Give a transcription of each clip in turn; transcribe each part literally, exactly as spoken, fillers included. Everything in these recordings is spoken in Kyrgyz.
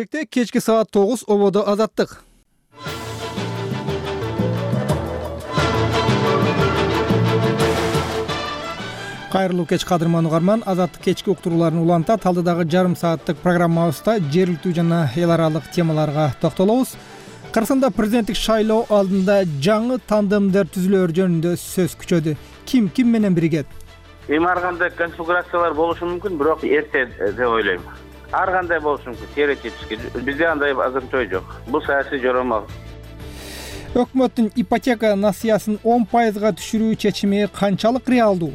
Келечекте кечки саат тогуз ободо азаттык. Кайрылуу кеч кадырман угарман, азаттык кечки уктурууларын уланта талдыдагы жарым сааттык программабызда жергиликтүү жана эл аралык темаларга токтолобуз. Кыргызстанда президенттик шайлоо алдында жаңы тандемдер түзүлөр жөнүндө сөз күчөдү. Ким ким менен биригет? Эми ар кандай конфигурациялар болушу мүмкүн, бирок эрте деп ойлойм. Ар кандай болушу мүмкүн, теоретически. Бизде андай азырынча ой жок. Бул саясий жорамал. Өкмөттүн ипотека насыясын он пайызга түшүрүү чечими канчалык реалдуу?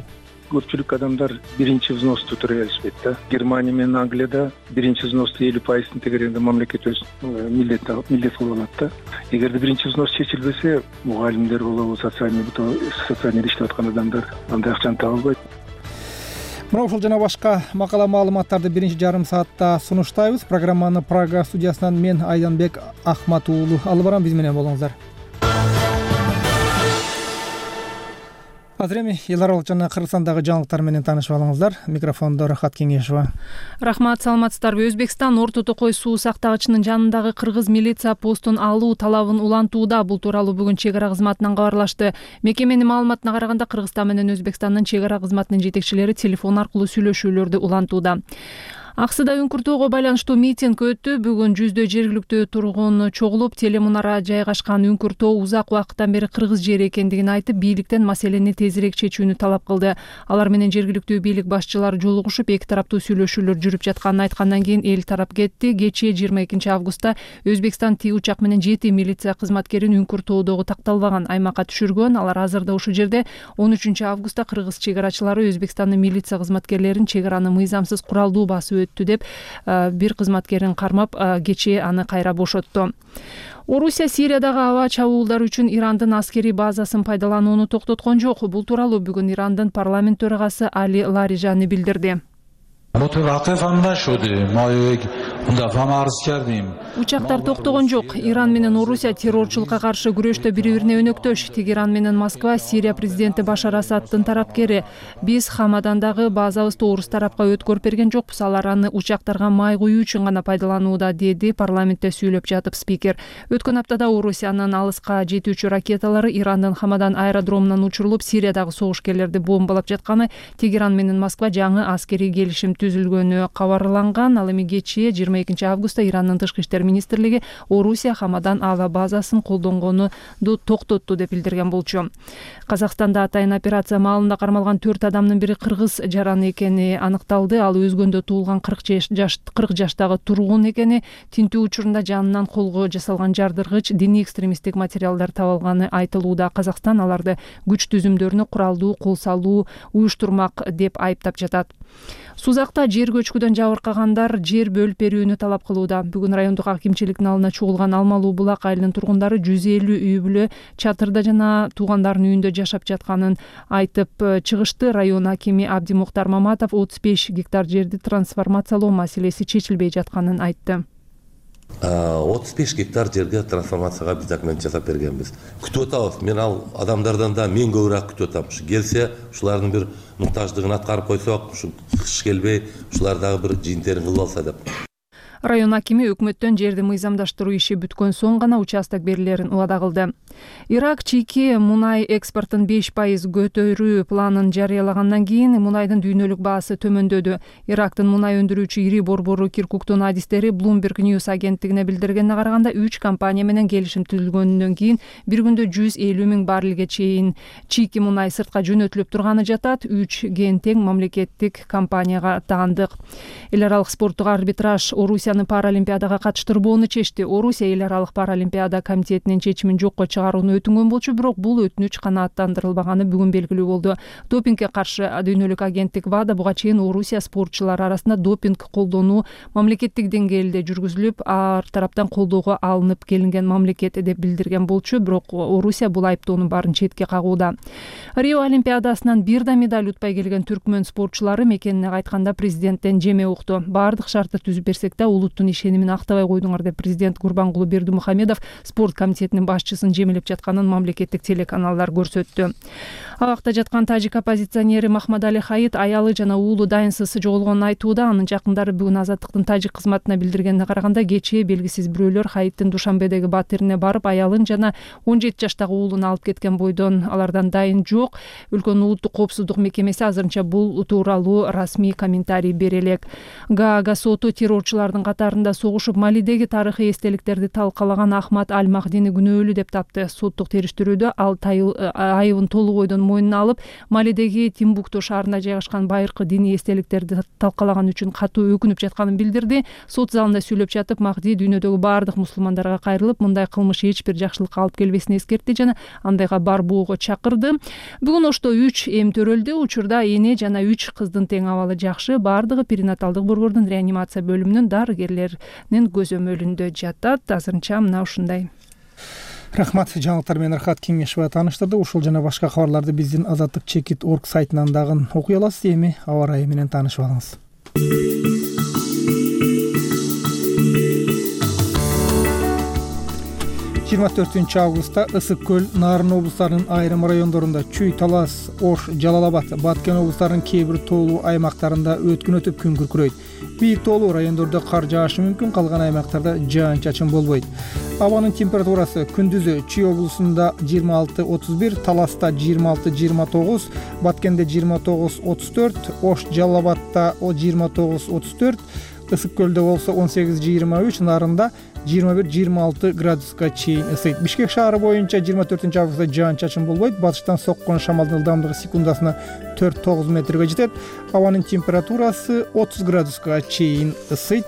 Көпчүлүк адамдар биринчи взносту төлөй алышпайт да. Германия менен Англияда биринчи взносту элүү пайыздын тегерегинде мамлекет өз милдет милдет кылып алат да. Эгерде биринчи взност чечилбесе, мугалимдер болобу, социальный социальный иштеп аткан адамдар андай акчаны таба албайт. Мына ушул жана башка макала маалыматтарды биринчи жарым саатта сунуштайбыз. Программаны Прага студиясынан мен Айданбек Ахмат уулу алып барам, биз менен болуңуздар. Азыр эми эл аралык жана Кыргызстандагы жаңылыктар менен таанышып алыңыздар. Микрофондо Рахат Кеңешова. Рахмат, саламатсыздарбы? Өзбекстан Орто Токой суу сактагычынын жанындагы кыргыз милиция постун алуу талабын улантууда. Бул тууралуу бүгүн чек ара кызматынан кабарлашты. Мекеменин маалыматына караганда Кыргызстан менен Өзбекстандын чек ара кызматынын жетекчилери телефон аркылуу сүйлөшүүлөрдү улантууда. Аксыда үңкүртөөгө байланыштуу митинг өттү. Бүгүн жүздөй жергиликтүү тургун чогулуп, телемунара жайгашкан үңкүртөө узак убакыттан бери кыргыз жери экендигин айтып, бийликтен маселени тезирээк чечүүнү талап кылды. Алар менен жергиликтүү бийлик башчылары жолугушуп, эки тараптуу сүйлөшүүлөр жүрүп жатканын айткандан кийин эл тарап кетти. Кечээ жыйырма экинчи августта Өзбекстан Ти учак менен жети милиция кызматкерин үңкүртөөдөгү такталбаган аймакка түшүргөн. Алар азырда ушул жерде. он үчүнчү августта кыргыз чек арачылары Өзбекстандын милиция кызматкерлерин чек араны мыйзамсыз куралдуу басып деп бир кызматкерин кармап, кечээ аны кайра бошотту. Орусия Сириядагы аба чабуулдар үчүн Ирандын аскерий базасын пайдаланууну токтоткон жок. Бул тууралуу бүгүн Ирандын парламент төрагасы Али Ларижани билдирди. Учактар токтогон жок. Иран менен Орусия террорчулукка каршы күрөштө бири-бирине өнөктөш. Тегеран менен Москва Сирия президенти Башар Асадтын тарапкери. Биз Хамадандагы базабызды орус тарапка өткөрүп берген жокпуз. Алар аны учактарга май куюу үчүн гана пайдаланууда, деди парламентте сүйлөп жатып спикер. Өткөн аптада Орусиянын алыска жетүүчү ракеталары Ирандын Хамадан аэродромунан учурулуп, Сириядагы согушкерлерди бомбалап жатканы, Тегеран менен Москва жаңы аскерий келишим түзүлгөнү кабарланган. Ал эми кечээ жыйырма экинчи августта Ирандын тышкы иштер министрлиги Орусия Хамадан аба базасын колдонгону токтотту деп билдирген болчу. Казакстанда атайын операция маалында кармалган төрт адамдын бири кыргыз жараны экени аныкталды. Ал өзгөндө туулган кырк жаштагы тургун экени, тинтүү учурунда жанынан колго жасалган жардыргыч, диний экстремисттик материалдар табылганы айтылууда. Казакстан аларды күч түзүмдөрүнө куралдуу кол салуу уюштурмак деп айыптап жатат. Сузакта жер көчкүдөн жабыркагандар жер бөлүп берүүнү талап кылууда. Бүгүн райондук акимчиликтин алдына чогулган Алмалуу Булак айылынын тургундары жүз элүү үй бүлө чатырда жана туугандарынын үйүндө жашап жатканын айтып чыгышты. Район акими Абдимуктар Маматов отуз беш гектар жерди трансформациялоо маселеси чечилбей жатканын айтты. отуз беш гектар жерге трансформацияга биз документ жасап бергенбиз. Күтүп атабыз. Мен ал адамдардан да мен көбүрөөк күтүп атам. Ушу келсе, ушулардын бир муктаждыгын аткарып койсок, ушу кыш келбей, ушулар дагы бир жыйынтерин кылып алса деп. Район акими өкмөттөн жерди мыйзамдаштыруу иши бүткөн соң гана участок берилерин убада кылды. Ирак чийки мунай экспортун беш пайыз көтөрүү планын жарыялагандан кийин мунайдын дүйнөлүк баасы төмөндөдү. Ирактын мунай өндүрүүчү ири борбору Киркуктун адистери Bloomberg News агенттигине билдиргенине караганда, үч компания менен келишим түзүлгөндөн кийин бир күндө жүз элүү миң баррелге чейин чийки мунай сыртка жөнөтүлүп турганы жатат. Үч ген тең мамлекеттик компанияга таандык. Эл аралык спорттук арбитраж Орусияны Паралимпиадага катыштырбоону чечти. Орусия эл аралык Паралимпиада комитетинин чечимин жокко чыгарууну өтүнгөн болчу, бирок бул өтүнүч канааттандырылбаганы бүгүн белгилүү болду. Допингге каршы дүйнөлүк агенттик ВАДА буга чейин Орусия спортчулары арасында допинг колдонуу мамлекеттик деңгээлде жүргүзүлүп, ар тараптан колдоого алынып келинген мамлекет деп билдирген болчу, бирок Орусия бул айыптоонун баарын четке кагууда. Рио Олимпиадасынан бир да медаль утпай келген түркмөн спортчулары мекенине кайтканда президенттен жеме укту. Баардык шартты түзүп берсек да улуттун ишенимин актабай койдуңар деп президент Гурбангулы Бердимухамедов спорт комитетинин башчысын жемелеп мамилелеп жатканын мамлекеттик телеканалдар көрсөттү. Абакта жаткан тажик оппозиционери Махмадали Хаит аялы жана уулу дайынсыз жоголгонун айтууда. Анын жакындары бүгүн Азаттыктын тажик кызматына билдиргенине караганда кечээ белгисиз бирөөлөр Хаиттин Душанбедеги батирине барып аялын жана он жети жаштагы уулун алып кеткен бойдон алардан дайын жок. Өлкөнүн улуттук коопсуздук мекемеси азырынча бул тууралуу расмий комментарий бере элек. Гаага соту террорчулардын катарында согушуп Малидеги тарыхый эстеликтерди талкалаган Ахмад Аль-Махдини күнөөлүү деп тапты. Соттук териштирүүдө ал айыбын толук бойдон мойнуна алып, Малидеги Тимбукту шаарында жайгашкан байыркы диний эстеликтерди талкалаган үчүн катуу өкүнүп жатканын билдирди. Сот залында сүйлөп жатып, Махди дүйнөдөгү баардык мусулмандарга кайрылып, мындай кылмыш эч бир жакшылыкка алып келбесин эскертти жана андайга барбоого чакырды. Бүгүн Ошто үч эм төрөлдү. Учурда эне жана үч кыздын тең абалы жакшы. Баардыгы перинаталдык борбордун реанимация бөлүмүнүн дарыгерлеринин көзөмөлүндө жатат. Азырынча мына ушундай. Рахмат, жаңылыктар менен Рахат Кеңешова тааныштырды. Ушул жана башка кабарларды биздин азаттык чекит точка орг сайтынан дагы окуй аласыз. Эми аба ырайы менен таанышып алыңыз. жыйырма төртүнчү августта Ысык көл, Нарын облустарынын айрым райондорунда, Чүй, Талас, Ош, Жалал-Абад, Баткен облустарынын кээ бир тоолуу аймактарында өткүн өтүп күн күркүрөйт. Бийик тоолуу райондордо кар жаашы мүмкүн, калган аймактарда жаан-чачын болбойт. Абанын температурасы күндүзү Чүй облусунда жыйырма алты отуз бир, Таласта жыйырма алты жыйырма тогуз, Баткенде жыйырма тогуз отуз төрт, Ош, Жалал-Абадта жыйырма тогуз отуз төрт, Ысык көлдө болсо он сегиз жыйырма үч, Нарында жыйырма бир жыйырма алты градуска чейин ысыйт. Бишкек шаары боюнча жыйырма төртүнчү августта жаан-чачын болбойт. Батыштан соккон шамалдын ылдамдыгы секундасына төрт тогуз метрге жетет. Абанын температурасы отуз градуска чейин ысыйт.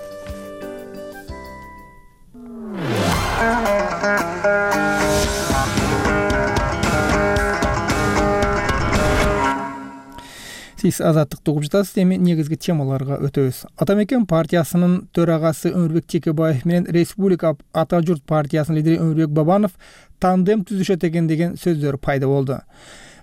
Сиз азаттыкты угуп жатасыз. Эми негизги темаларга өтөбүз. Ата мекен партиясынын төрагасы Өмүрбек Текебаев менен Республика Ата журт партиясынын лидери Өмүрбек Бабанов тандем түзүшөт экен деген сөздөр пайда болду.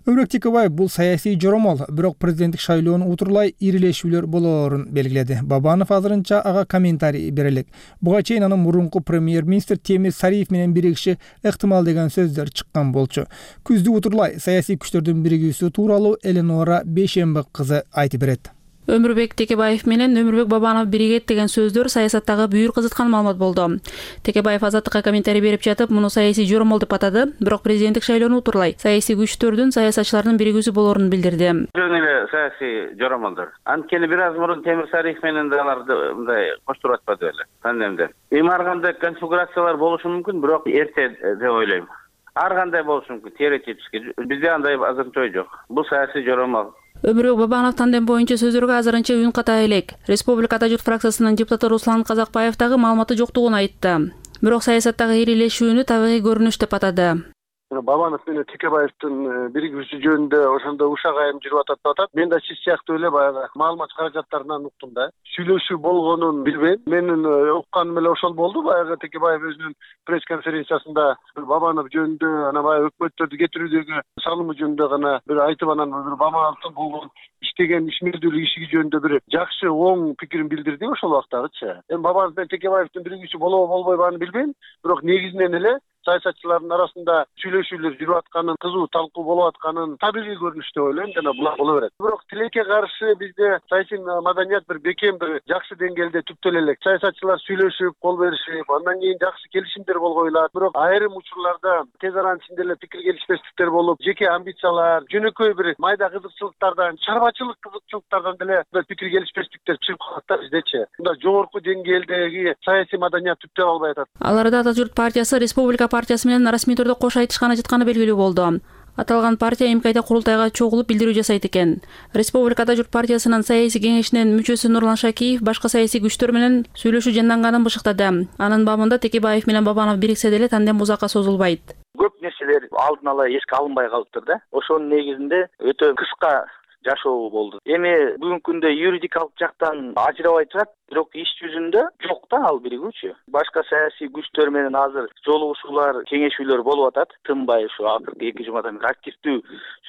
Өмүрбек Текебаев бул саясий жоромол, бирок президенттик шайлоону утурлай ирилешүүлөр болоорун белгиледи. Бабанов азырынча ага комментарий бере элек. Буга чейин анын мурунку премьер-министр Темир Сариев менен биригиши ыктымал деген сөздөр чыккан болчу. Күздү утурлай саясий күчтөрдүн биригүүсү тууралуу Эленора Бейшембек кызы айтып берет. Өмүрбек Текебаев менен Өмүрбек Бабанов биригет деген сөздөр саясаттагы бүйүр кызыткан маалымат болду. Текебаев Азаттыкка комментарий берип жатып, муну саясий жоромол деп атады, бирок президенттик шайлоону утурлай саясий күчтөрдүн, саясатчылардын биригүүсү болоорун билдирди. Жөн эле саясий жоромолдор. Анткени бир аз мурун Темир Сариев менен да аларды мындай коштуруп атпады беле. Тандемде. Эми ар кандай конфигурациялар болушу мүмкүн, бирок эрте деп ойлойм. Ар кандай болушу мүмкүн, теоретически. Бизде андай азырынча ой жок. Бул саясий жоромол. Өмүрбек Бабанов тандем боюнча сөзөргө азырынча үн ката элек. Республика Ата журт фракциясынын депутаты Руслан Казакбаев дагы маалыматы жоктугун айтты. Бирок саясаттагы ирилешүүнү табигый көрүнүш деп атады. Бабанов менен Текебаевдин биригүүсү жөнүндө ошондо ушак айым жүрүп атат деп атат. Мен да сиз сыяктуу эле баягы маалымат каражаттарынан уктум да. Сүйлөшүү болгонун билбейм. Менин укканым эле ошол болду. Баягы Текебаев өзүнүн пресс конференциясында Бабанов жөнүндө, анан баягы өкмөттөрдү кетирүүдөгү салымы жөнүндө гана бир айтып, анан бир Бабановдун болгон иштеген ишмердүүлүк иши жөнүндө бир жакшы оң пикирин билдирди ошол убактагычы. Эми Бабанов менен Текебаевдин биригүүсү болобу болбойбу аны билбейм. Бирок негизинен эле саясатчылардын арасында сүйлөшүүлөр жүрүп атканын, кызуу талкуу болуп атканын табигый көрүнүш деп ойлойм, жана булар боло берет. Бирок тилекке каршы бизде саясий маданият бир бекем, бир жакшы деңгээлде түптөлө элек. Саясатчылар сүйлөшүп, кол беришип, андан кийин жакшы келишимдер болгойлар. Бирок айрым учурларда тез аранын ичинде эле пикир келишпестиктер болуп, жеке амбициялар, жөнөкөй бир майда кызыкчылыктардан, чарбачылык кызыкчылыктардан деле пикир келишпестиктер чыгып калат да биздечи. Мында жогорку деңгээлдеги саясий маданият түптөп албай атат. Аларда Ата журт партиясы Республика партиясы менен расмий түрдө кош айтышканы жатканы белгилүү болду. Аталган партия эмкайда курултайга чогулуп билдирүү жасайт экен. Республика Ата журт партиясынын саясий кеңешинин мүчөсү Нурлан Шакиев башка саясий күчтөр менен сүйлөшүү жанданганын бышыктады. Анын бабында Текебаев менен Бабанов бириксе деле тандем узакка созулбайт. Көп нерселер алдын ала эске алынбай калыптыр да. Ошонун негизинде өтө кыска жашоо болду. Эми бүгүнкү күндө юридикалык жактан ажырабай турат. бирок иш жүзүндө жок да ал биригүүчү. Башка саясий күчтөр менен азыр жолугушуулар, кеңешүүлөр болуп атат. Тынбай ушу акыркы эки жумадан бери активдүү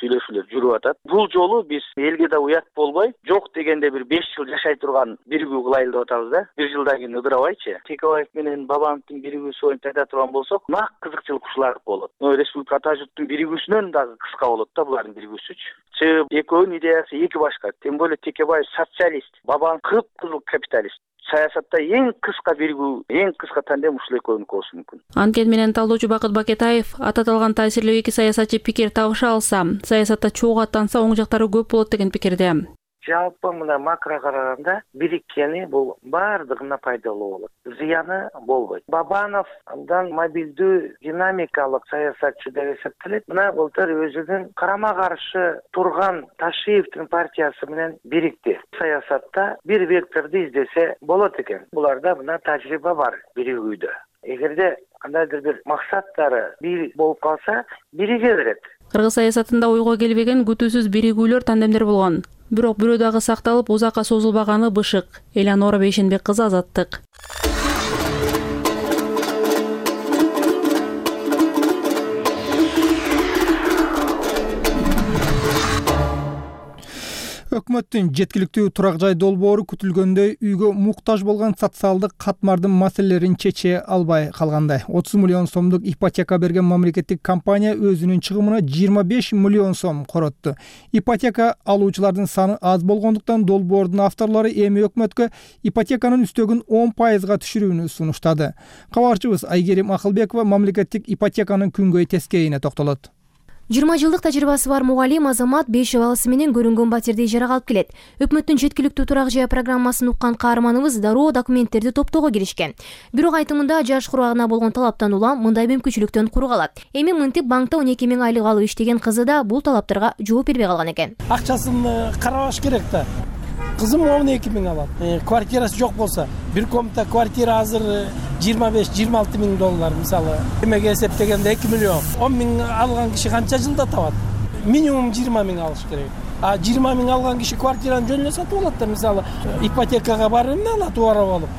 сүйлөшүүлөр жүрүп атат. Бул жолу биз элге да уят болбой, жок дегенде бир беш жыл жашай турган биригүү кылайлы деп атабыз да. Бир жылдан кийин ыдырабайчы. Текебаев менен Бабановдун биригүүсү боюнча айта турган болсок, нак кызыкчылык ушулар болот. Республика ата журттун биригүүсүнөн дагы кыска болот да булардын биригүүсүчү. Чыгып экөөнүн идеясы эки башка. Тем более Текебаев социалист, Бабанов кыпкызыл капиталист. Саясатта эң кыска биригүү, эң кыска тандем ушул экөөнүкү болушу мүмкүн. Анткени менен талдоочу Бакыт Бакетаев ататалган таасирлүү эки саясатчы пикир табыша алса, саясатта чогуу аттанса оң жактары көп болот деген пикирде. Жалпы мына макро караганда бириккени бул баардыгына пайдалуу болот. Зыяны болбойт. Бабанов андан мобилдүү динамикалык саясатчы деп эсептелет. Мына былтыр өзүнүн карама каршы турган Ташиевдин партиясы менен бирикти. Саясатта бир векторду издесе болот экен. Буларда мына тажрыйба бар биригүүдө. Эгерде кандайдыр бир максаттары бир болуп калса, бириге берет. Кыргыз саясатында ойго келбеген күтүүсүз биригүүлөр, тандемдер болгон. Бирок бирөө дагы сакталып, узакка созулбаганы бышык. Эланора Бейшенбек кызы, Азаттык. Өкмөттүн жеткиликтүү турак жай долбоору күтүлгөндөй үйгө муктаж болгон социалдык катмардын маселелерин чече албай калгандай. отуз миллион сомдук ипотека берген мамлекеттик компания өзүнүн чыгымына жыйырма беш миллион сом коротту. Ипотека алуучулардын саны аз болгондуктан долбоордун авторлору эми өкмөткө ипотеканын үстөгүн он пайызга түшүрүүнү сунуштады. Кабарчыбыз Айгерим Акылбекова мамлекеттик ипотеканын күнгөй тескейине токтолот. жыйырма жылдык тажрыйбасы бар мугалим Азамат беш баласы менен көрүнгөн батирде ижарага алып келет. Өкмөттүн жеткиликтүү турак жай программасын уккан каарманыбыз дароо документтерди топтоого киришкен. Бирок айтымында жаш курагына болгон талаптан улам мындай мүмкүнчүлүктөн кур калат. Эми мынтип банкта он эки миң айлык алып иштеген кызы да бул талаптарга жооп бербей калган экен. Акчасын карабаш керек да. Кызым он эки миң алат. Квартирасы жок болсо, бир комната квартира азыр жыйырма беш жыйырма алты миң доллар мисалы. Эмеге эсептегенде эки миллион. он миң алган киши канча жылда табат? Минимум жыйырма миң алыш керек. А жыйырма миң алган киши квартираны жөн эле сатып алат да, мисалы, ипотекага барып эмне алат убара болуп.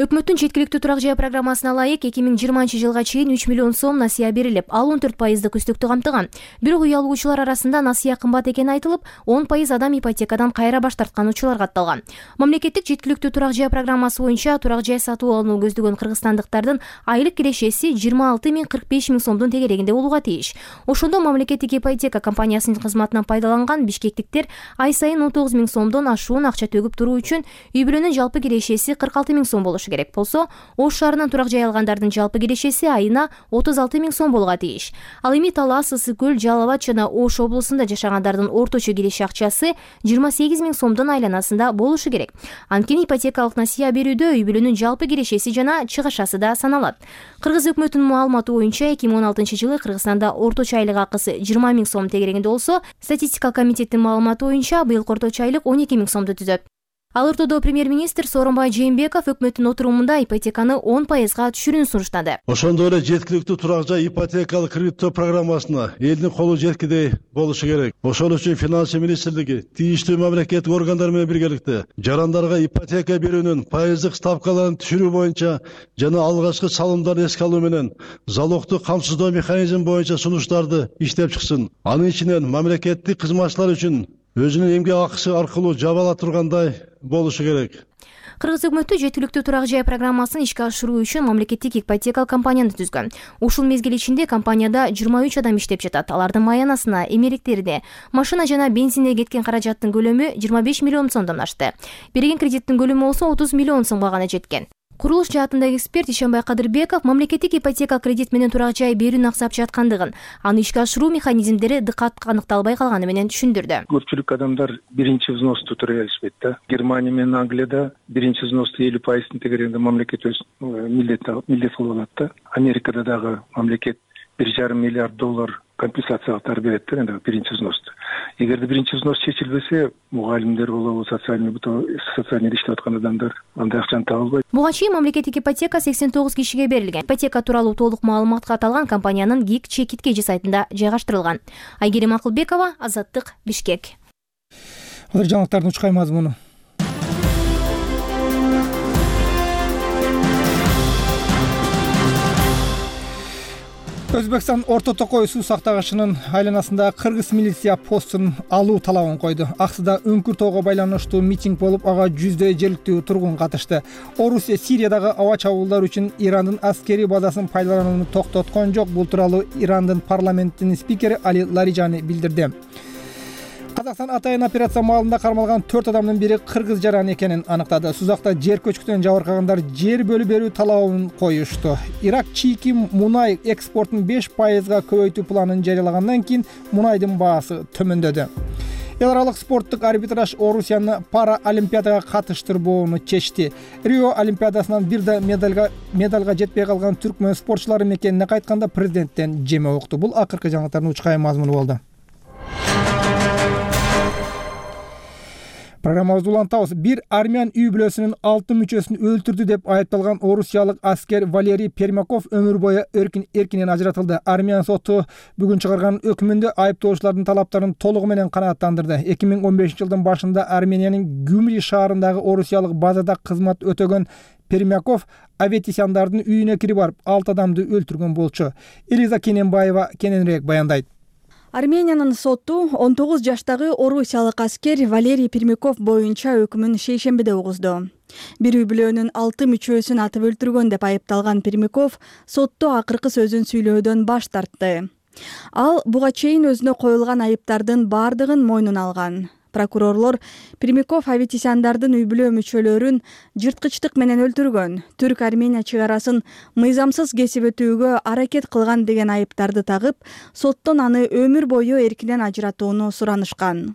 Өкмөттүн жеткиликтүү турак жай программасына ылайык эки миң жыйырманчы жылга чейин үч миллион сом насыя берилип, ал он төрт пайыздык үстүктү камтыган. Бирок үй алуучулар арасында насыя кымбат экени айтылып, он пайыз адам ипотекадан кайра баш тарткан учурлар катталган. Мамлекеттик жеткиликтүү турак жай программасы боюнча турак жай сатып алууну көздөгөн кыргызстандыктардын айлык кирешеси жыйырма алты миң кырк беш миң сомдун тегерегинде болууга тийиш. Ошондо мамлекеттик ипотека компаниясынын кызматынан пайдаланган бишкектиктер ай сайын он тогуз миң сомдон ашуун акча төгүп туруу үчүн үй бүлөнүн жалпы кирешеси кырк алты миң сом болушу керек болсо, Ош шаарынан турак жай алгандардын жалпы кирешеси айына отуз алты миң сом болгон тийиш. Ал эми Талас, Ысык көл, Жалал Абад жана Ош облусунда жашагандардын орточо киреше акчасы жыйырма сегиз миң сомдун айланасында болушу керек. Анткени ипотекалык насыя берүүдө үй бүлөнүн жалпы кирешеси жана чыгышасы да саналат. Кыргыз өкмөтүнүн маалыматы боюнча эки миң он алтынчы жылы Кыргызстанда орточо айлык акысы жыйырма миң сом тегерегинде болсо, статистика комитеттин маалыматы боюнча быйыл орточо айлык он эки миң сомду түзөт. Ал ортодо премьер-министр Сооронбай Жээнбеков өкмөттүн отурумунда ипотеканы он пайызга түшүрүүнү суруштады. Ошондой эле жеткиликтүү турак жай ипотекалык кредиттөө программасына элдин колу жеткидей болушу керек. Ошол үчүн Финансы министрлиги тийиштүү мамлекеттик органдар менен биргеликте жарандарга ипотека берүүнүн пайыздык ставкаларын түшүрүү боюнча жана алгачкы салымдарды эске алуу менен залогдук камсыздоо механизми боюнча сунуштарды иштеп чыксын. Анын ичинен мамлекеттик кызматчылар үчүн өзүнүн эмгек акысы аркылуу жабыла тургандай болушу керек. Кыргыз өкмөтү жеткиликтүү турак жай программасын ишке ашыруу үчүн мамлекеттик ипотекалык компанияны түзгөн. Ушул мезгил ичинде компанияда жыйырма үч адам иштеп жатат. Алардын маянасына, эмеректерине, машина жана бензинге кеткен каражаттын көлөмү жыйырма беш миллион сомдон ашты. Берген кредиттин көлөмү болсо отуз миллион сомго гана жеткен. Курулуш жаатындагы эксперт Ишенбай Кадырбеков мамлекеттик ипотека кредит менен турак жай берүүнү аксап жаткандыгын, аны ишке ашыруу механизмдери дыкат аныкталбай калганы менен түшүндүрдү. Көпчүлүк адамдар биринчи взносты төлөй алышпайт да. Германия менен Англияда биринчи взносту элүү пайыздын тегерегинде мамлекет өз милдет милдет кылып алат да. Америкада дагы мамлекет бир жарым миллиард доллар компенсациялыктар берет да, энди биринчи взносты. Эгерде биринчи взнос чечилбесе, мугалимдер болобу, социальный социальный иштеп аткан адамдар андай акчаны таба албайт. Буга чейин мамлекеттик ипотека сексен тогуз кишиге берилген. Ипотека тууралуу толук маалымат катталган компаниянын гик чекит кежи сайтында жайгаштырылган. Айгерим Акылбекова, Азаттык, Бишкек. Азыр жаңылыктардын учкай мазмуну. Өзбекстан Орто Токой суу сактагычынын айланасында кыргыз милиция постун алуу талабын койду. Аксыда Үңкүр тоого байланыштуу митинг болуп, ага жүздөй жергиликтүү тургун катышты. Орусия Сириядагы аба чабуулдар үчүн Ирандын аскерий базасын пайдаланууну токтоткон жок. Бул тууралуу Ирандын парламентинин спикери Али Лаrijani билдирди. Казакстан атайын операция маалында кармалган төрт адамдын бири кыргыз жаран экенин аныктады. Сузакта жер көчкүдөн жабыркагандар жер бөлүп берүү талабын коюшту. Ирак чийки мунай экспортун беш пайызга көбөйтүү планын жарыялагандан кийин мунайдын баасы төмөндөдү. Эл аралык спорттук арбитраж Орусияны пара олимпиадага катыштырбоону чечти. Рио олимпиадасынан бир да медалга медалга жетпей калган түркмөн спортчулары мекенине кайтканда президенттен жеме укту. Бул акыркы жаңылыктардын учкай мазмуну болду. Программабызды улантабыз. Бир армян үй бүлөсүнүн алты мүчөсүн өлтүрдү деп айыпталган орусиялык аскер Валерий Пермяков өмүр бою эркин эркинен ажыратылды. Армян соту бүгүн чыгарган өкүмүндө айыптоочулардын талаптарын толугу менен канааттандырды. эки миң он бешинчи жылдын башында Армениянын Гюмри шаарындагы орусиялык базада кызмат өтөгөн Пермяков Аветисяндардын үйүнө кирип барып алты адамды өлтүргөн болчу. Элиза Кененбаева кененирээк баяндайт. Армениянын соту он тогуз жаштагы орусиялык аскер Валерий Пермяков боюнча өкүмүн шейшембиде угузду. Бир үй бүлөнүн алты мүчөсүн атып өлтүргөн деп айыпталган Пермяков сотто акыркы сөзүн сүйлөөдөн баш тартты. Ал буга чейин өзүнө коюлган айыптардын бардыгын мойнуна алган. Прокурорлор Пермяков Аветисяндардын үй бүлө мүчөлөрүн жырткычтык менен өлтүргөн, Түрк-Армения чек арасын мыйзамсыз кесип өтүүгө аракет кылган деген айыптарды тагып, соттон аны өмүр бою эркинен ажыратууну суранышкан.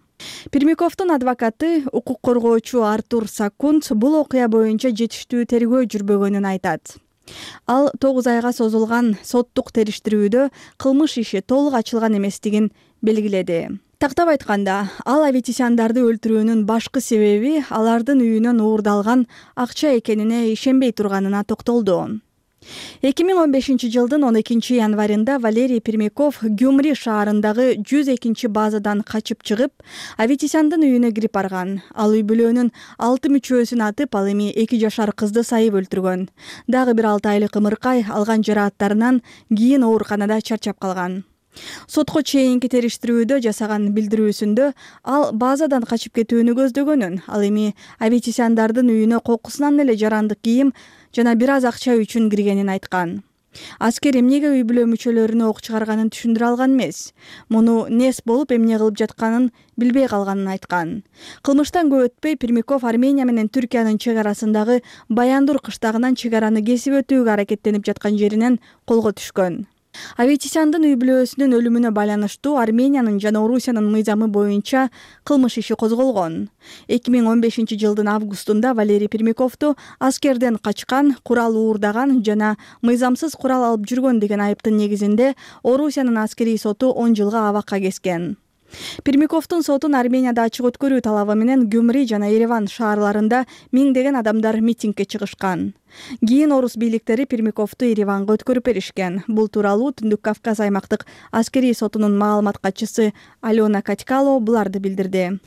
Пермяковдун адвокаты, укук коргоочу Артур Сакунт бул окуя боюнча жетиштүү тергөө жүрбөгөнүн айтат. Ал тогуз айга созулган соттук териштирүүдө кылмыш иши толук ачылган эместигин белгиледи. Тактап айтканда, ал Аветисяндарды өлтүрүүнүн башкы себеби алардын үйүнөн уурдалган акча экенине ишенбей турганына токтолду. эки миң он бешинчи жылдын он экинчи январында Валерий Пермяков Гюмри шаарындагы жүз экинчи базадан качып чыгып, Аветисяндын үйүнө кирип барган. Ал үй бүлөнүн алты мүчөсүн атып, ал эми эки жашар кызды сайып өлтүргөн. Дагы бир алты айлык ымыркай алган жарааттарынан кийин ооруканада чарчап калган. Сотко чейинки териштирүүдө жасаган билдирүүсүндө ал базадан качып кетүүнү көздөгөнүн, ал эми Аветисяндардын үйүнө кокусунан эле жарандык кийим жана бир аз акча үчүн киргенин айткан. Аскер эмнеге үй бүлө мүчөлөрүнө ок чыгарганын түшүндүрө алган эмес. Муну нес болуп эмне кылып жатканын билбей калганын айткан. Кылмыштан көп өтпөй Пермяков Армения менен Түркиянын чек арасындагы Баяндур кыштагынан чек араны кесип өтүүгө аракеттенип жаткан жеринен колго түшкөн. Аветисяндын үй бүлөсүнүн өлүмүнө байланыштуу Армениянын жана Орусиянын мыйзамы боюнча кылмыш иши козголгон. эки миң он бешинчи жылдын августунда Валерий Пермяковду аскерден качкан, курал уурдаган жана мыйзамсыз курал алып жүргөн деген айыптын негизинде Орусиянын аскерий соту он жылга абакка кескен. Пермяковдун сотун Арменияда ачык өткөрүү талабы менен Гюмри жана Ереван шаарларында миңдеген адамдар митингге чыгышкан. Кийин орус бийликтери Пермяковду Ереванга өткөрүп беришкен. Бул тууралуу Түндүк Кавказ аймактык аскерий сотунун маалымат катчысы Алена Катькало буларды билдирди.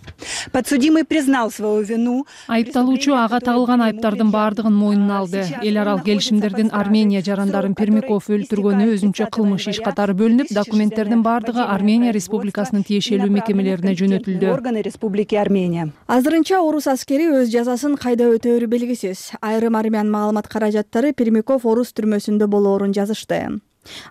Подсудимый признал свою вину. Айыпталуучу ага тагылган айыптардын баардыгын мойнуна алды. Эл аралык келишимдердин Армения жарандарын Пермяков өлтүргөнү өзүнчө кылмыш иш катары бөлүнүп, документтердин баардыгы Армения Республикасынын тиешелүү мекемелерине жөнөтүлдү. Органы Республики Армения. Азырынча орус аскери өз жазасын кайда өтөөрү белгисиз. Айрым армян маалымат каражаттары Пермяков орус түрмөсүндө болоорун жазышты.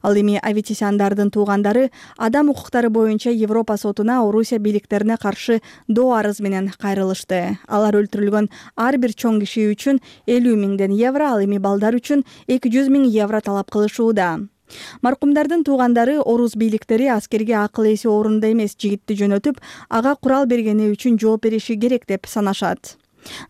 Ал эми Аветисяндардын туугандары адам укуктары боюнча Европа сотуна Орусия бийликтерине каршы доо арыз менен кайрылышты. Алар өлтүрүлгөн ар бир чоң киши үчүн элүү миңден евро, ал эми балдар үчүн эки жүз миң евро талап кылышууда. Маркумдардын туугандары орус бийликтери аскерге акыл эси орунда эмес жигитти жөнөтүп, ага курал бергени үчүн жооп бериши керек деп санашат.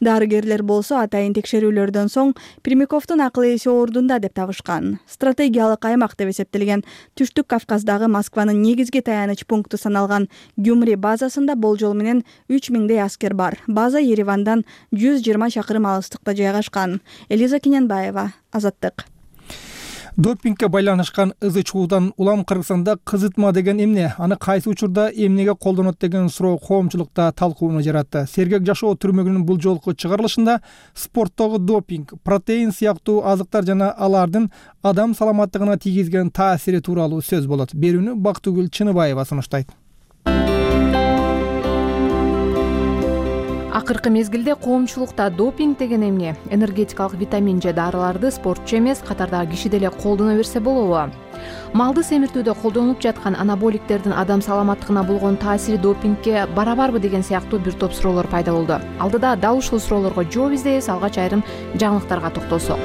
Дарыгерлер болсо атайын текшерүүлөрдөн соң Пермяковдун акыл эси ордунда деп табышкан. Стратегиялык аймак деп эсептелген Түштүк Кавказдагы Москванын негизги таяныч пункту саналган Гюмри базасында болжол менен үч миңдей аскер бар. База Еревандан жүз жыйырма чакырым алыстыкта жайгашкан. Элиза Кененбаева, Азаттык. Допингге байланышкан ызы чуудан улам Кыргызстанда кызытма деген эмне, аны кайсы учурда эмнеге колдонот деген суроо коомчулукта талкууну жаратты. Сергек жашоо түрмөгүнүн бул жолку чыгарылышында спорттогу допинг, протеин сыяктуу азыктар жана алардын адам саламаттыгына тийгизген таасири тууралуу сөз болот. Берүүнү Бактыгүл Чыныбаева сунуштайт. Акыркы мезгилде коомчулукта допинг деген эмне, энергетикалык витамин же дарыларды спортчу эмес, катардагы киши деле колдоно берсе болобу? Малды семиртүүдө колдонулуп жаткан анаболиктердин адам саламаттыгына болгон таасири допингге барабарбы деген сыяктуу бир топ суроолор пайда болду. Алдыда дал ушул суроолорго жооп издейбиз, алгач айрым жаңылыктарга токтолсок.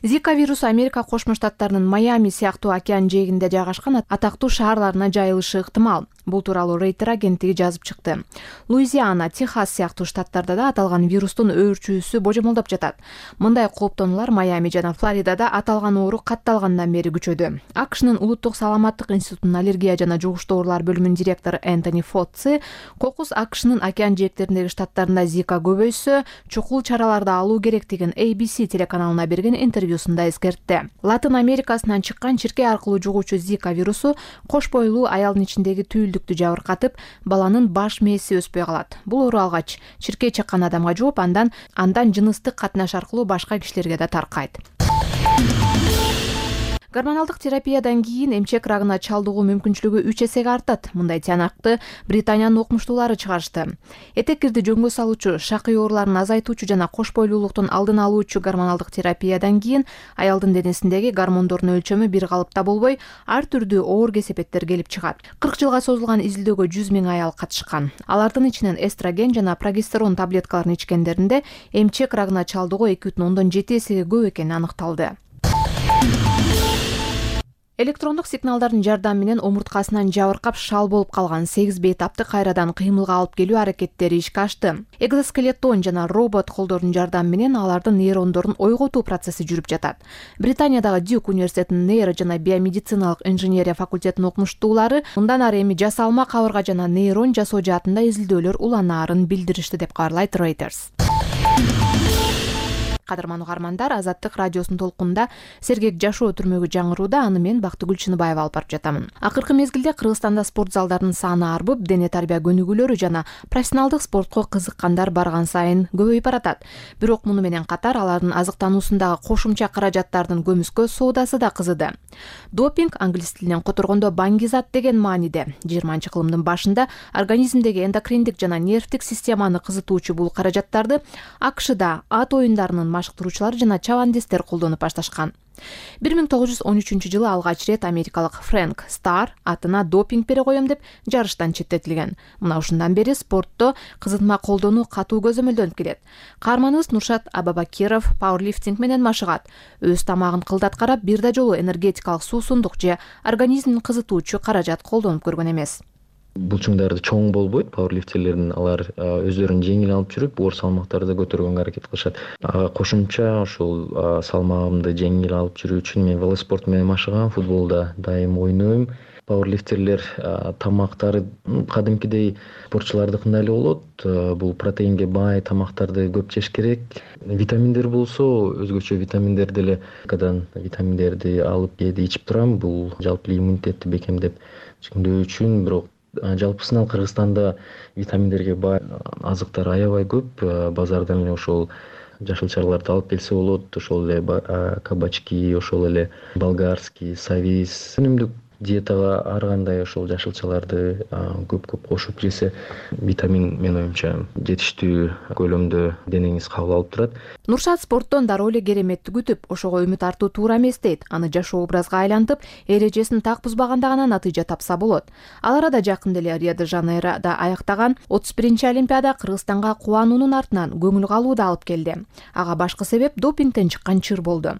Зика вирусу Америка Кошмо Штаттарынын Майами сыяктуу океан жээгинде жайгашкан атактуу шаарларына жайылышы ыктымал. Бул тууралуу Рейтер агенттиги жазып чыкты. Луизиана, Техас сыяктуу штаттарда да аталган вирустун өөрчүүсү божомолдоп жатат. Мындай кооптонуулар Майами жана Флоридада аталган оору катталгандан бери күчөдү. АКШнын улуттук саламаттык институтунун аллергия жана жугуштуу оорулар бөлүмүнүн директору Энтони Фоцци кокус АКШнын океан жээктериндеги штаттарында Зика көбөйсө, чукул чараларды алуу керектигин A B C телеканалына берген интервьюсунда эскертти. Латын Америкасынан чыккан чиркей аркылуу жугуучу Зика вирусу кош бойлуу аялдын ичиндеги түйүлдүктү жабыркатып, баланын баш мээси өспөй калат. Бул оору алгач чиркей чаккан адамга жугуп, андан андан жыныстык катнаш аркылуу башка кишилерге да таркайт. Гормоналдык терапиядан кийин эмчек рагына чалдыгуу мүмкүнчүлүгү үч эсеге артат. Мындай тыянакты Британиянын окумуштуулары чыгарышты. Этеккирди жөнгө салуучу, шакый ооруларын азайтуучу жана кош бойлуулуктун алдын алуучу гормоналдык терапиядан кийин аялдын денесиндеги гормондордун өлчөмү бир калыпта болбой, ар түрдүү оор кесепеттер келип чыгат. кырк жылга созулган изилдөөгө жүз миң аял катышкан. Алардын ичинен эстроген жана прогестерон таблеткаларын ичкендеринде эмчек рагына чалдыгуу эки бүтүн ондон жети эсеге көп экени аныкталды. Электрондук сигналдардын жардамы менен омурткасынан жабыркап шал болуп калган сегиз бейтапты кайрадан кыймылга алып келүү аракеттери ишке ашты. Экзоскелеттон жана робот колдордун жардамы менен алардын нейрондорун ойготуу процесси жүрүп жатат. Британиядагы Дюк университетинин нейро жана биомедициналык инженерия факультетинин окумуштуулары мындан ары эми жасалма кабырга жана нейрон жасоо жаатында изилдөөлөр уланаарын билдиришти деп кабарлайт Reuters. Кадырман угармандар, Азаттык радиосунун толкунунда Сергек жашоо түрмөгү жаңырууда, аны мен Бактыгүл Чыныбаева алып барып жатамын. Акыркы мезгилде Кыргызстанда спорт залдарынын саны арбып, дене тарбия көнүгүүлөрү жана профессионалдык спортко кызыккандар барган сайын көбөйүп баратат. Бирок муну менен катар алардын азыктануусундагы кошумча каражаттардын көмүскө соодасы да кызыды. Допинг англис тилинен которгондо баңги зат деген мааниде. жыйырманчы кылымдын башында организмдеги эндокриндик жана нервдик системаны кызытуучу бул каражаттарды АКШда ат оюндарынын машыктыруучулары жана чабандестер колдонуп башташкан. бир миң тогуз жүз он үчүнчү жылы алгач рет америкалык Фрэнк Стар атына допинг бере коем деп жарыштан четтетилген. Мына ушундан бери спортто кызытма колдонуу катуу көзөмөлдөнүп келет. Каарманыбыз Нуршат Абабакиров пауэрлифтинг менен машыгат. Өз тамагын кылдат карап, бир да жолу энергетикалык суусундук же организмин кызытуучу каражат колдонуп көргөн эмес. Булчуңдарды чоң болбойт, пауэрлифтерлердин алар өздөрүн жеңил алып жүрүп, оор салмактарды көтөргөнгө аракет кылышат. Кошумча ошол салмагымды жеңил алып жүрүү үчүн мен велоспорт менен машыгам, футболда дайым ойнойм. Пауэрлифтерлер тамактары кадимкидей спортчулардыкындай эле болот. Бул протеинге бай тамактарды көп жеш керек. Витаминдер болсо, өзгөчө витаминдер деле, кадан витаминдерди алып кээде ичип турам. Бул жалпы иммунитетти бекемдеп чыңдоо үчүн, бирок жалпысынан Кыргызстанда витаминдерге бай азыктар аябай көп. Базардан эле ошол жашылчаларды алып келсе болот. Ошол эле кабачки, ошол эле болгарский, савис. Өнүмдүк диетага ар кандай ошол жашылчаларды көп-көп кошуп жесе, витамин менин оюмча жетиштүү көлөмдө денеңиз кабыл алып турат. Нуршат спорттон дароо эле кереметти күтүп, ошого үмүт артуу туура эмес дейт. Аны жашоо образга айлантып, эрежесин так бузбаганда гана натыйжа тапса болот. Ал арада жакын деле Рио-де-Жанейрода аяктаган отуз биринчи Олимпиада Кыргызстанга кубануунун артынан көңүл калуу да алып келди. Ага башкы себеп допингден чыккан чыр болду.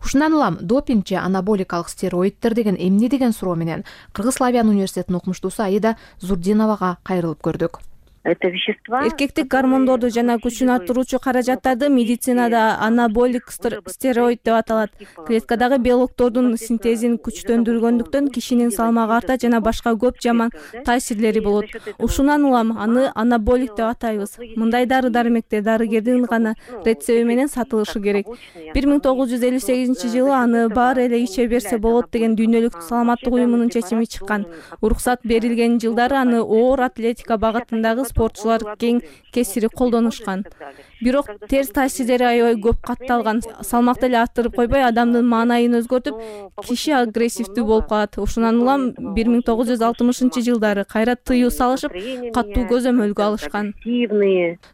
Ушундан улам допинг же анаболикалык стероиддер деген эмне деген суроо менен Кыргыз Славян университетинин окумуштуусу Аида Зурдиновага кайрылып көрдүк. это вещества. Эркектик гормондорду жана күчүн арттыруучу каражаттарды медицинада анаболик стероид деп аталат. Клеткадагы белоктордун синтезин күчтөндүргөндүктөн кишинин салмагы артат жана башка көп жаман таасирлери болот. Ушундан улам аны анаболик деп атайбыз. Мындай дары-дармектер дарыгердин гана рецеби менен сатылышы керек. бир миң тогуз жүз элүү сегизинчи жылы аны баары эле иче берсе болот деген дүйнөлүк саламаттык уюмунун чечими чыккан. Уруксат берилген жылдары аны оор атлетика багытындагы спортчулар кең кесири колдонушкан. Бирок терс таасирлери аябай көп катталган. Салмакты эле арттырып койбой, адамдын маанайын өзгөртүп, киши агрессивдүү болуп калат. Ошондон улам бир миң тогуз жүз алтымышынчы жылдары кайра тыюу салышып, катуу көзөмөлгө алышкан.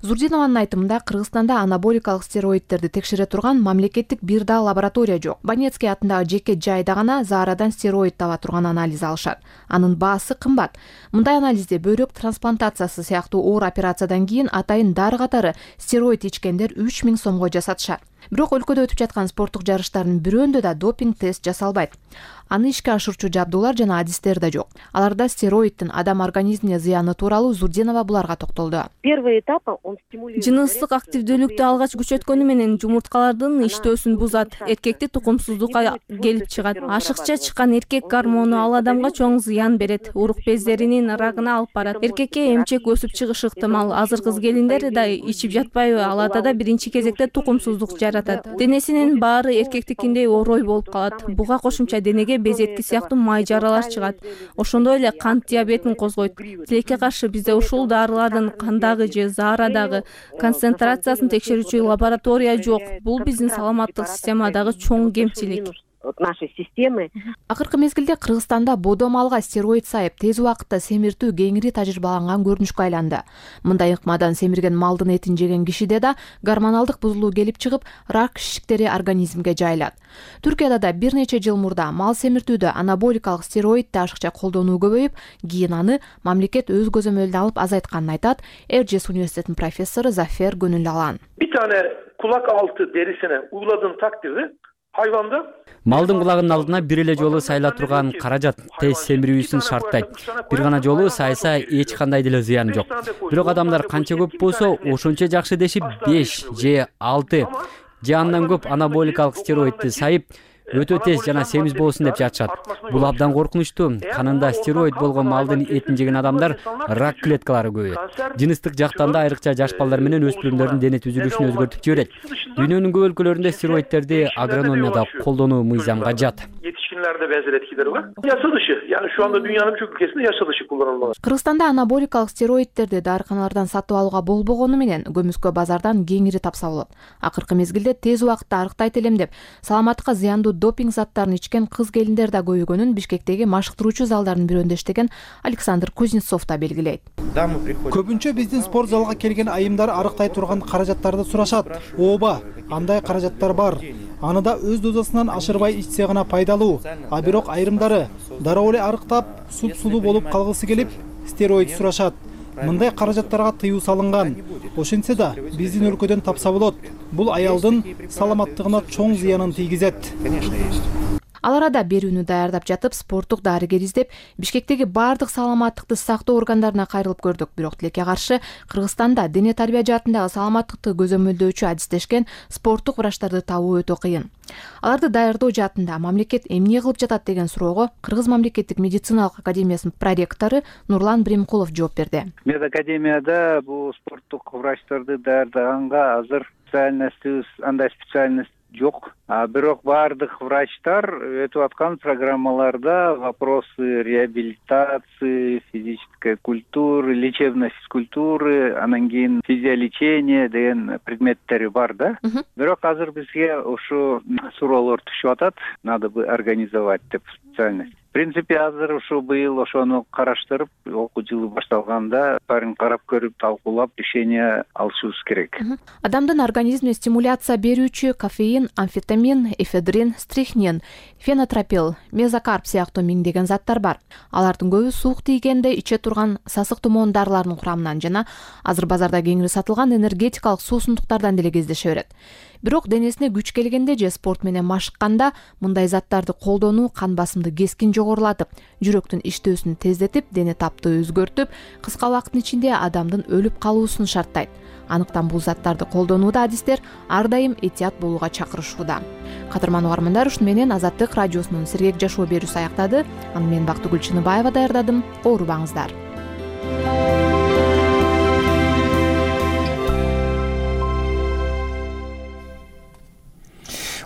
Зурдинованын айтымында, Кыргызстанда анаболикалык стероидтерди текшере турган мамлекеттик бир да лаборатория жок. Банецкий атындагы жеке жайда гана заарадан стероид таба турган анализ алышат. Анын баасы кымбат. Мындай анализде бөйрөк трансплантациясы сыяктуу оор операциядан кийин атайын дары катары стероид ичкендер үч миң сомго жасатышат. Бирок өлкөдө өтүп жаткан спорттук жарыштардын бирөөндө да допинг тест жасалбайт. Аны ишке ашырчу жабдуулар жана адистер да жок. Аларда стероиддин адам организмине зыяны тууралуу Зурдинова буларга токтолду. Первый этап он стимулирует жыныстык активдүүлүктү алгач күчөткөнү менен жумурткалардын иштөөсүн бузат, эркекти тукумсуздукка келип чыгат. Ашыкча чыккан эркек гормону ал адамга чоң зыян берет, урук бездеринин рагына алып барат. Эркекке эмчек өсүп чыгышы ыктымал. Азыр кыз келиндер да ичип жатпайбы? Аларда да биринчи кезекте тукумсуздук жаратат. Денесинин баары эркектикиндей орой болуп калат. Буга кошумча денеге безетки сыяктуу май жаралар чыгат. Ошондой эле кант диабетин козгойт. Тилекке каршы бизде ушул дарылардын кандагы же заарадагы концентрациясын текшерүүчү лаборатория жок. Бул биздин саламаттык системадагы чоң кемчилик. Нашей системы. Акыркы мезгилде Кыргызстанда бодо малга стероид сайып тез убакытта семиртүү кеңири тажрыйбаланган көрүнүшкө айланды. Мындай ыкмадан семирген малдын этин жеген кишиде да гормоналдык бузулуу келип чыгып, рак шишиктери организмге жайылат. Түркияда да бир нече жыл мурда мал семиртүүдө анаболикалык стероидди ашыкча колдонуу көбөйүп, кийин аны мамлекет өз көзөмөлүнө алып азайтканын айтат Эржес университетинин профессору Зафер Гөнүлалан. Bir tane kulak altı derisine uyguladığın takdirde hayvanda Малдын кулагынын алдына бир эле жолу сайыла турган каражат тез семирүүсүн шарттайт. Бир гана жолу сайса эч кандай деле зыяны жок. Бирок адамдар канча көп болсо, ошончо жакшы дешип беш же алты же андан көп анаболикалык стероидди сайып, өтө тез жана семиз болсун деп жатышат. Бул абдан коркунучтуу. Канында стероид болгон малдын этин жеген адамдар рак клеткалары көбөйөт. Жыныстык жактан да айрыкча жаш балдар менен өспүрүмдөрдүн дене түзүлүшүн өзгөртүп жиберет. Дүйнөнүн көп өлкөлөрүндө стероидтерди агрономияда колдонуу мыйзамга jat. Yetişkinlerde benzer etkileri var. Yasa dışı. Yani şu anda dünyanın birçok ülkesinde yasa dışı kullanılmalı. Kırgızstanda anabolikалык стероидтерди дарыканалардан сатып алууга болбогону менен көмүскө базардан кеңири тапса болот. Акыркы мезгилде тез убакытта арыктайт элем деп саламаттыкка зыяндуу допинг заттарын ичкен кыз келиндер да көбөйгөнүн Бишкектеги машыктыруучу залдардын бирөөндө иштеген Александр Кузнецов да белгилейт. Көбүнчө биздин спорт залга келген айымдар арыктай турган каражаттарды сурашат. Ооба, андай каражаттар бар. Аны да өз дозасынан ашырбай ичсе гана пайдалуу. А бирок айрымдары дароо эле арыктап, суп-сулуу болуп калгысы келип, стероид сурашат. Мындай каражаттарга тыюу салынган. Ошентсе да биздин өлкөдөн тапса болот. Бул аялдын саламаттыгына чоң зыянын тийгизет. Ал арада берүүнү даярдап жатып, спорттук дарыгер издеп, Бишкектеги бардык саламаттыкты сактоо органдарына кайрылып көрдүк. Бирок тилекке каршы Кыргызстанда дене тарбия жаатындагы саламаттыкты көзөмөлдөөчү адистешкен спорттук врачтарды табуу өтө кыйын. Аларды даярдоо жаатында мамлекет эмне кылып жатат деген суроого Кыргыз мамлекеттик медициналык академиясынын проректору Нурлан Бремкулов жооп берди. Медакадемияда бул спорттук врачтарды даярдаганга азыр специальностьбиз андай специальность жок. А бирок бардык врачтар өтүп аткан программаларда вопросы реабилитации, физической культуры, лечебной физкультуры, анан кийин физиолечение деген предметтери бар да. Бирок азыр бизге ушу суроолор түшүп атат. Надо бы организовать деп специальность. В принципе, азыр ушу быйыл ошону караштырып, окуу жылы башталганда баарын карап көрүп, талкуулап, решение алышыбыз керек. Адамдын организмине стимуляция берүүчү кофеин, амфетамин, эфедрин, стрихнин, фенотропил, мезокарп сыяктуу миңдеген заттар бар. Алардын көбү суук тийгенде иче турган сасык тумоон дарыларынын курамынан жана азыр базарда кеңири сатылган энергетикалык суусундуктардан деле кездеше берет. бирок денесине күч келгенде же спорт менен машыкканда мындай заттарды колдонуу кан басымды кескин жогорулатып, жүрөктүн иштөөсүн тездетип, дене таптыгы өзгөртүп, кыска убакыттын ичинде адамдын өлүп калуусун шарттайт. Анықтан бул заттарды колдонууда адистер ар дайым этият болууга чакырышууда. Кадырман угармандар, ушуну менен Азаттык радиосунун сергек жашоо берүүсү аяктады. Аны мен Бактыгүл Чыныбаева даярдадым. Оорубаңыздар.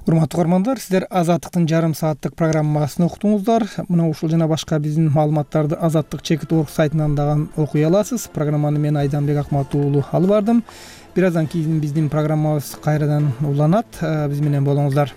Урматтуу угармандар, сиздер Азаттыктын жарым сааттык программасын уктуңуздар. Мына ушул жана башка биздин маалыматтарды Азаттык чекит орг сайтынан дагы окуй аласыз. Программаны мен Айданбек Акмат уулу алып бардым. Бир аздан кийин биздин программабыз кайрадан уланат. Биз менен болуңуздар.